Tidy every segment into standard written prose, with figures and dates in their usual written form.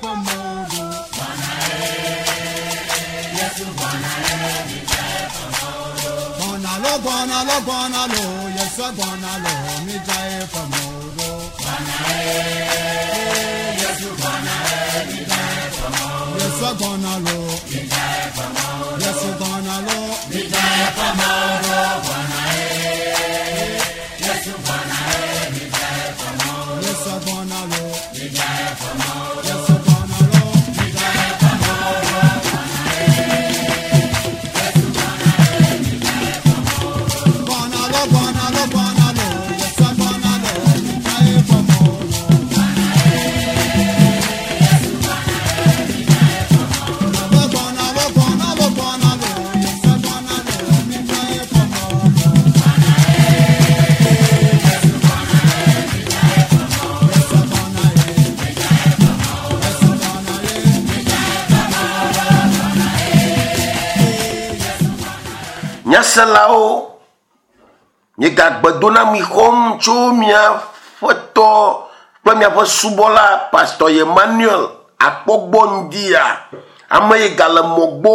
fɔmɔdo. Gbɔna lo gbɔna lo gbɔna lo Yesu gbɔna lo mi dza ye fɔmɔdo. Yesu gbɔna lo. Yesu gbɔna lo. Mi dza ye fɔmɔdo. Yesu gbɔna lo. Yesu gbɔna lo. Mi dza ye fɔmɔdo. Gbɔna lo gbɔna lo gbɔna lo Yesu gbɔna lo mi dza ye fɔmɔdo. Gbɔna lo gbɔna lo gbɔna lo Yesu gbɔna lo mi dza ye fɔmɔdo. Yesu gbɔna ye. Yesu gbɔna ye. Nyaselawo, miegagbe do na mi xɔm tso miaƒe tɔ kple miaƒe subɔla Pastor Emmanuel Akpɔgbɔ ŋdia. Ame yi gale mɔ gbɔ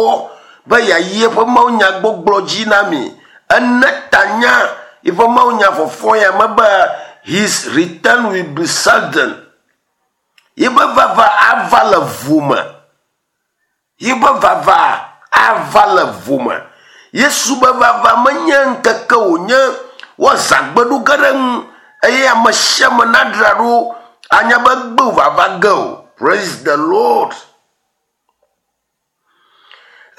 be yeayi eƒe mawunyagbɔgblɔ dzi na mi. Ene tanya eƒe mawunya fɔfɔ ya me be his return will be sudden. Yiƒe vava ava le vo me. Yiƒe vava ava le vo me. Yesu be vava menye ŋkeke wònye woazã gbeɖo ge ɖe ŋu eye ame sia ame nadzra ɖo anya be gbe vava ge o. Praise the Lord.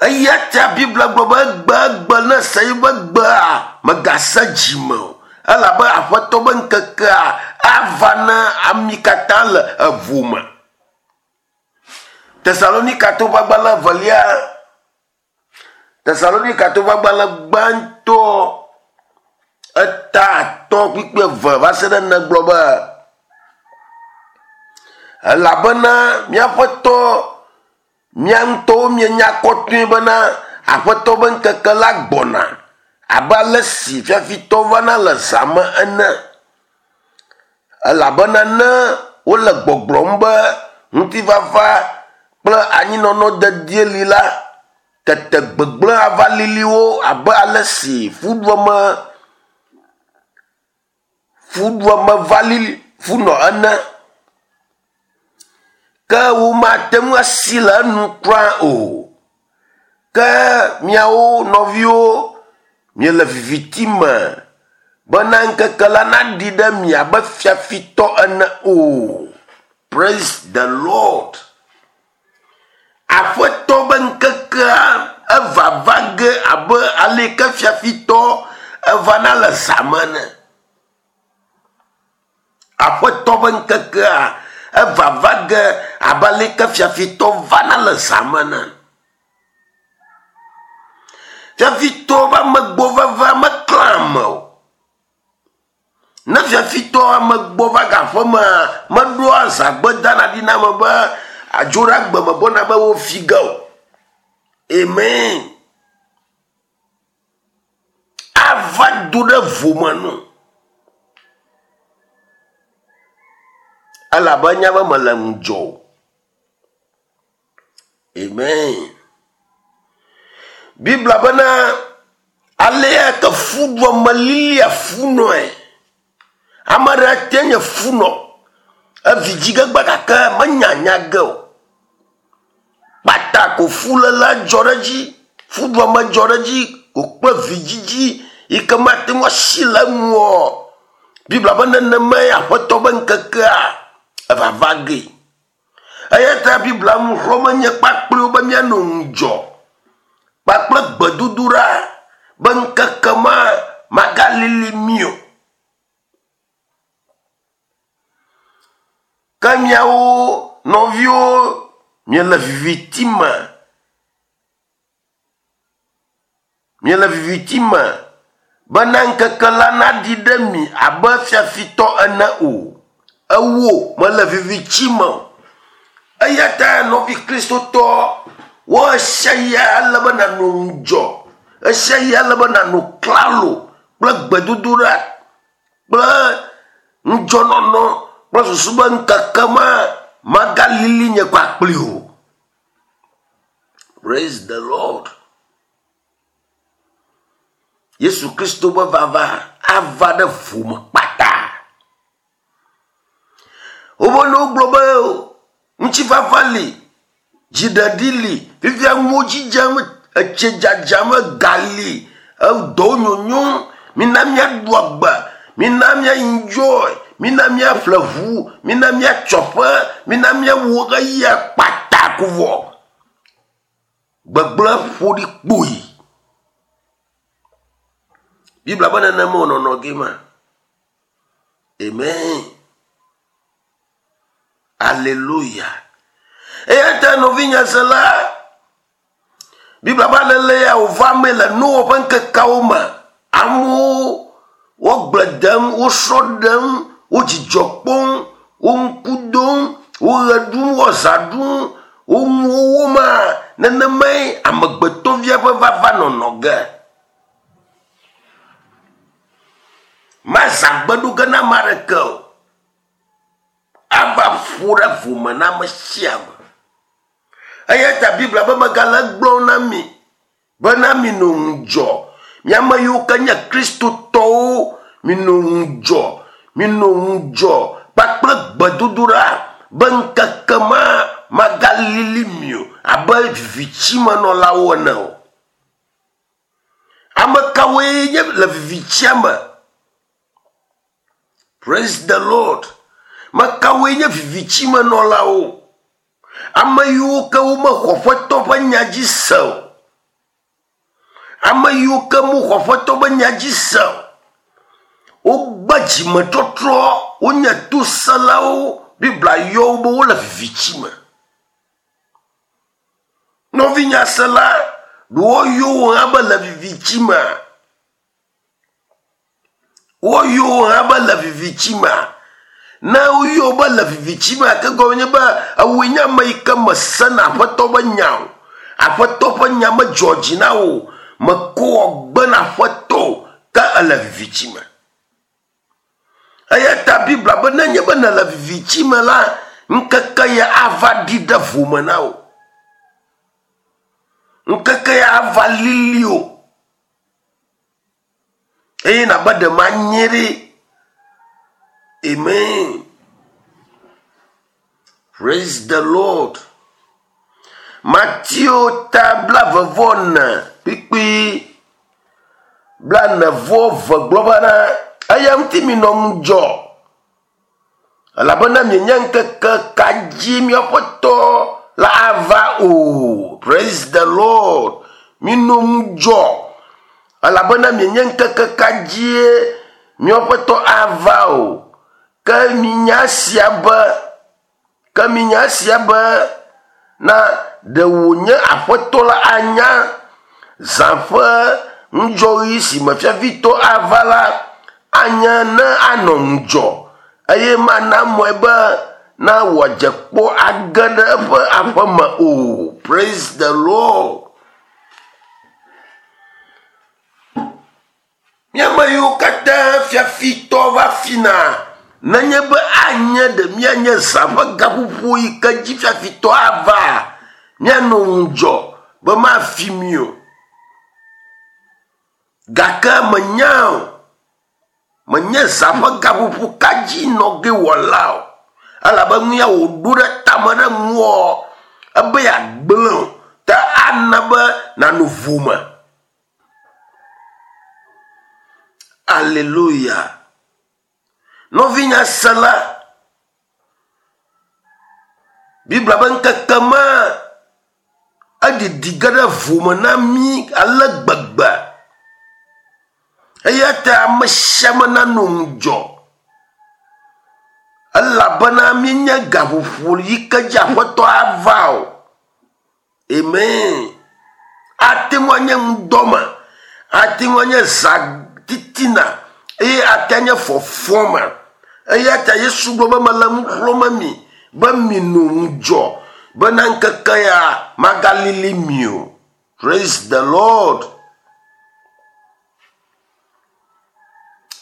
Eya ta Biblia gblɔ be egbe egbe ne se yiƒe gbea megase dzime o. Elabe aƒetɔ be ŋkekea ava na ami katã le evo me. Tesalonikatɔwo ƒe agbalẽ evelia Tesalonikatɔwo ƒe agbalẽ gbãtɔ eta atɔ̃ kpukpui eve va se ɖe ene gblɔ be elabena míaƒe tɔ mía ŋutɔwo mienya kɔtɔe bena aƒetɔ be ŋkeke la gbɔna abe ale si fiafitɔ vana le zã me ene. Elabena ne wole gbɔgblɔm be ŋutifafa kple anyinɔnɔ dedie li la, tete gbegblẽ ava lili wo abe ale si fuɖuame fuɖuame va lili funɔ ene. Ke womate ŋu asi le enu kura o. Ke miawo nɔviwo miele viviti me bena ŋkeke la naɖi ɖe mi abe fiafitɔ ene o. Praise the Lord. Aƒetɔ be ŋkekea evava ge abe aleke fiafitɔ evana le zã me ene. Aƒetɔ be ŋkekea evava ge abe aleke fiafitɔ vana le zã me ene. Fiafitɔ ƒe amegbɔ vava meklã ame o. Ne fiafitɔ amegbɔ va gaƒe mea, meɖoa zãgbe dana ɖi na ame be adzo ɖe agbe me gbɔna be wofi ge o. Amen. Ava do ɖe vome nu. Elabe enya be mele ŋudzɔ o. Amen. Biblia bena alea ke fuɖuame lilia funɔe. Ame ɖe te nye funɔ. Evi dzi ge gbe gake menya nya ge o. Kpata ko fuléle dzɔ ɖe edzi. Fuɖuame dzɔ ɖe edzi ko kple vidzidzi yi ke mate ŋu asi le eŋu o. Biblia be nenemae aƒetɔ be ŋkekea evava ge. Eya ta Biblia nu xlɔ̃me nye kpakple wo be míanɔ ŋudzɔ kpakple gbedodoɖa be ŋkeke ma magalili mí o. Ke miawo nɔviwo miele viviti me. Miele viviti me bena ŋkeke la naɖi ɖe mi abe fiafitɔ ene o. Ewo mele viviti me o. Eya ta nɔvi kristotɔ wɔ esia ya ele be nànɔ ŋudzɔ. Esia ya ele be nànɔ klalo kple gbedodoɖa kple ŋudzɔnɔnɔ kple susu be ŋkeke ma Magalili nye kpakpli o. Praise the Lord. Yesu Kristo be vava ava ɖe vome kpata. Wobe ne wogblɔ be ŋutifafa li, dziɖeɖi li, fifia nuwo dzi dzem, etsi dzadzam, ega li, edɔwo nyonyom, mina míaɖu agbe, mina mía enjoy, mina míaƒle ʋu, mina míatsɔ aƒe, mina míawɔ eya kpata ko vɔ. Gbegblẽ ƒo ɖi kpoyi. Biblia be nenema wònɔnɔ ge ma. Amen. Aleluya. Eya ta nɔvinye sela, Biblia be alele ya wòva eme le Noa ƒe ŋkekeawo me. Amewo wo gble dem, wo srɔ̃ ɖem, wo dzidzɔ kpɔm, wo ŋku dom, wo ɣe ɖum, wo zã ɖum, wo nuwo wɔma. Nenemae amegbetɔvia ƒe vava nɔnɔ ge. Mazã gbe ɖo ge na ame aɖeke o. Ava ƒo ɖe vome na ame sia ame. Eya ta Biblia be megale egblɔm na mi bena minɔ ŋudzɔ. Mi ame yiwo ke nye Kristotɔwo, minɔ ŋudzɔ, minɔ ŋudzɔ kpakple gbedodoɖa be ŋkeke ma magalili mi o abe vivitimenɔlawo ene o. Ame kawoe nye le vivitia me? Praise the Lord. Me kawoe nye vivitimenɔlawo? Ame yiwo ke womexɔ Aƒetɔ ƒe nya dzi se o. Ame yiwo ke mexɔ Aƒetɔ ƒe nya dzi se o. Wogbe dzimetɔtrɔ, wonye tosẽlawo. Biblia yɔ wo be wole viviti me. Nɔvinyasela, ɖe woyɔ wò hã be le viviti mea? Woyɔ wò hã be le viviti mea? Ne woyɔ wò be le viviti mea, ke gɔme nye be ewòe nye ame yi ke mesena Aƒetɔ ƒe nya o. Aƒetɔ ƒe nya medzɔ dzi na wò o. Mekɔ wɔ gbe na Aƒetɔ o, ke ele viviti me. Eya ta Biblia be nenye be nèle viviti me la, ŋkeke ya ava ɖi ɖe vome na wò. Ŋkeke ya ava lili wò. Eye nàbe ɖe manye ɖe. Amen. Praise the Lord. Mateo ta blaeve-vɔ-ene kpikpi blaene-vɔ-eve gblɔ bena, eya ŋuti minɔ ŋudzɔ, elabena mienya ŋkeke ka dzi míaƒe Tɔ la ava o. Praise the Lord. Minɔ ŋudzɔ, elabena mienya ŋkeke ka dzie míaƒe Tɔ ava o. Ke minya esia be, ke minya esia be, na ɖe wònye Aƒetɔ la anya zã ƒe ŋudzɔɣi si me fiafitɔ ava la, anye ne anɔ ŋudzɔ eye mana mɔe be na wòadze kpɔ age ɖe eƒe aƒe me o. Praise the Lord. Mí ame yiwo katã fiafitɔ va fina, nenye be anye ɖe míanye zã ƒe gaƒoƒo yi ke dzi fiafitɔ ava, míanɔ ŋudzɔ be mafi mí o. Gake menya o, menye zã ƒe gaƒoƒo ka dzi nɔ ge wòala o. Elabe nu ya wòɖo ɖe tame ɖe ŋuwò, ebe yeagblẽ o, ta ana be nànɔ vo me. Aleluya. Nɔvinya sela, Biblia be ŋkeke ma eɖiɖi ge ɖe vome na mí ale gbegbe. Eya ta ame sia ame nanɔ ŋudzɔ elabena míenya gaƒoƒo yi ke dzi Aƒetɔ ava o. Amen. Ate ŋu anye ŋdɔ me, ate ŋu anye zã titina eye ate anye fɔfɔ me. Eya ta Yesu gblɔ be mele nu xlɔ̃m mi be minɔ ŋudzɔ bena ŋkeke ya magalili mi o. Praise the Lord.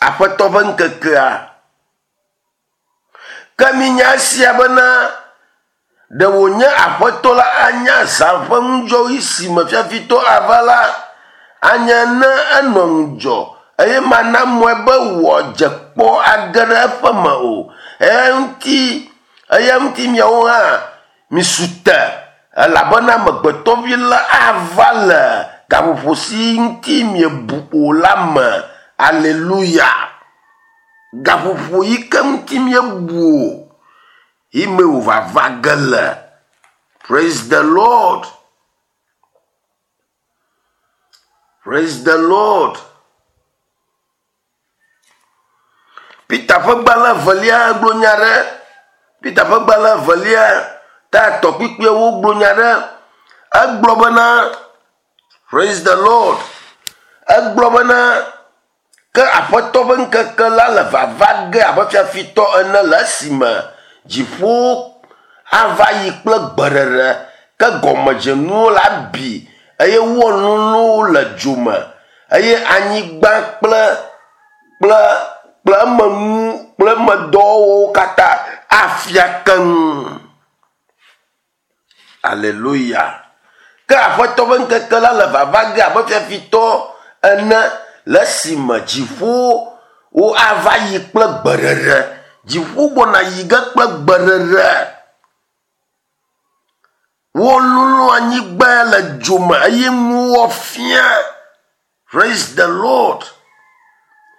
Aƒetɔ ƒe ŋkekea. Ke minya esia bena. Ɖe wònye Aƒetɔ la anya zã ƒe ŋudzɔɣi si me fiafitɔ ava la, anye ne enɔ ŋudzɔ eye mana mɔe be wòadze kpɔ age ɖe eƒe me o. Eya ŋuti, eya ŋuti miawo hã misu te, elabena Amegbetɔvi la ava le gaƒoƒo si ŋuti miebu o la me. Aleluya! Gaƒoƒo yi ke ŋuti miebu o, yi me wòvava ge le. Praise the Lord. Praise the Lord. Peter ƒe gbalẽ evelia gblɔ nya ɖe. Peter ƒe gbalẽ evelia ta etɔ̃ kpukpuiawo gblɔ nya ɖe. Egblɔ bena, Praise the Lord. Egblɔ bena, ke Aƒetɔ ƒe ŋkeke la le vava ge abe fiafitɔ ene le esime dziƒo ava yi kple gbeɖeɖe, ke gɔmedzenuwo la bi eye woalolo le dzo me eye anyigba kple kple kple emenu kple emedɔwo katã afia keŋ. Aleluya. Ke Aƒetɔ ƒe ŋkeke la le vava ge abe fiafitɔ ene le esime dziƒowo ava yi kple gbeɖeɖe. Dziƒo gbɔna yi ge kple gbeɖeɖe. Wololo anyigba le dzo me eye nuwo fia. Praise the Lord.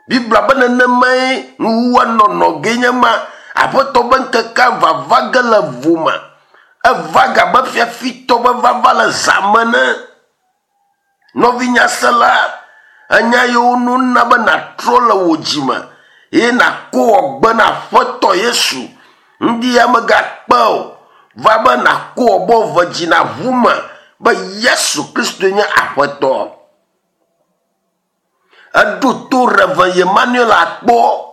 Biblia be nenemae nuwuwua nɔnɔ ge nye ma. Aƒetɔ be ŋkekea vava ge le vo me. Eva ge abe fiafitɔ be vava le zã me ene. Nɔvinyasela, enya yiwo nona be nàtrɔ le wò dzime eye nàko wɔ gbe na Aƒetɔ Yesu. Ŋdi ya megakpe o. Va be nàko wɔ bɔ ve dzi nàʋu me be Yesu Kristoe nye Aƒetɔ. Eɖo to Reverend Emmanuel akpɔ.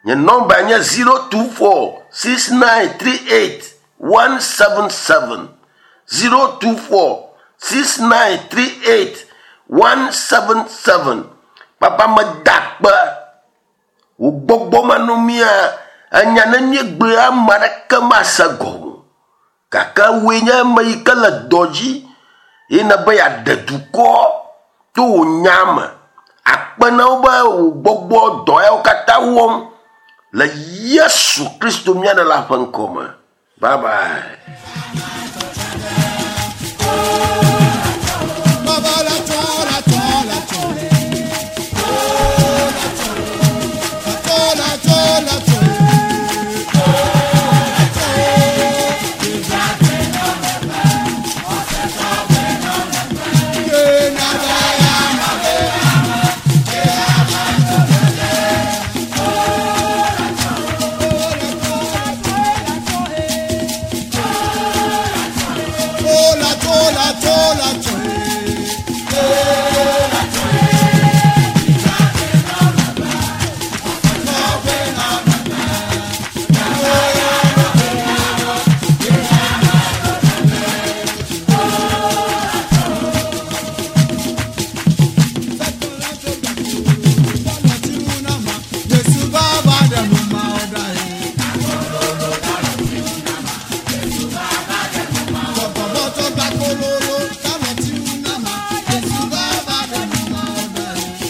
Nye nɔmba nye 024 6938 177. 024 6938 177. Papa meda akpe. Wò gbɔgbɔ manɔmea, enya ne míegblɔe ame aɖeke mase gɔme o. Gake wòe nye ame yi ke le dɔ dzi ye nèbe yeaɖe dukɔ to wò nya me. Akpe na wo be wò gbɔgbɔ dɔ yawo katã wɔm le Yesu Kristo mía Ɖela ƒe ŋkɔ me. Bye bye. Baba la tɔ la tɔ la tɔ. Oh la tɔ. La tɔ la tɔ la tɔ. Oh la tɔ. Ke na ba ya ma be. Ke ama tɔ le. Oh la tɔ. Oh la tɔ la tɔ la tɔ. Oh la tɔ la tɔ la tɔ. Eh la tɔ. Yesu baba dẹnu ma ọ̀dà yìí. Bọ̀bọ̀bọ̀ gba kólóró táwọn tí ń ná ma. Yesu baba dẹnu ma ọ̀dà yìí.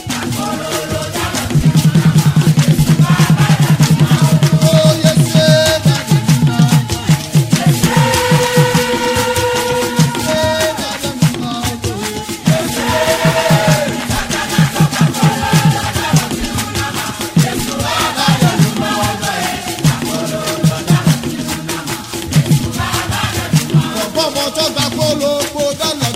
Ó Yesu bá dẹnu ma ọ̀dà yìí. Yesu bá dẹnu ma ọ̀dà yìí. Bọ̀bọ̀bọ̀ tó gba kólóró dáná.